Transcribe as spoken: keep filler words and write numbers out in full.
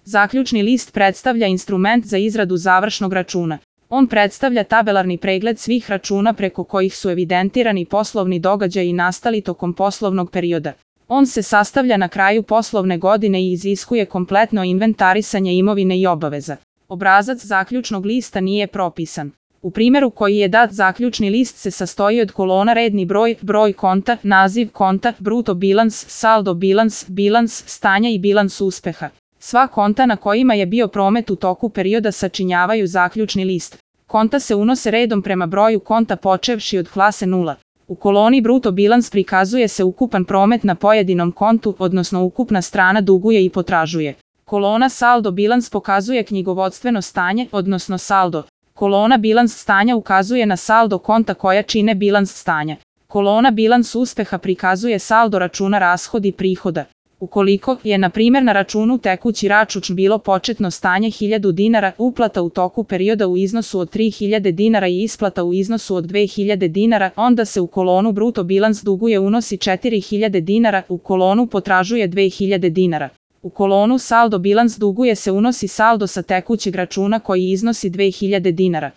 Zaključni list predstavlja instrument za izradu završnog računa. On predstavlja tabelarni pregled svih računa preko kojih su evidentirani poslovni događaji nastali tokom poslovnog perioda. On se sastavlja na kraju poslovne godine i iziskuje kompletno inventarisanje imovine i obaveza. Obrazac zaključnog lista nije propisan. U primjeru koji je dat, zaključni list se sastoji od kolona redni broj, broj konta, naziv konta, bruto bilans, saldo bilans, bilans stanja i bilans uspeha. Sva konta na kojima je bio promet u toku perioda sačinjavaju zaključni list. Konta se unose redom prema broju konta počevši od klase nula. U koloni bruto bilans prikazuje se ukupan promet na pojedinom kontu, odnosno ukupna strana duguje i potražuje. Kolona saldo bilans pokazuje knjigovodstveno stanje, odnosno saldo. Kolona bilans stanja ukazuje na saldo konta koja čine bilans stanja. Kolona bilans uspeha prikazuje saldo računa rashodi i prihoda. Ukoliko je, na primjer, na računu tekući račun bilo početno stanje hiljadu dinara, uplata u toku perioda u iznosu od tri hiljade dinara i isplata u iznosu od dve hiljade dinara, onda se u kolonu bruto bilans duguje unosi četiri hiljade dinara, u kolonu potražuje dve hiljade dinara. U kolonu saldo bilans duguje se unosi saldo sa tekućeg računa koji iznosi dve hiljade dinara.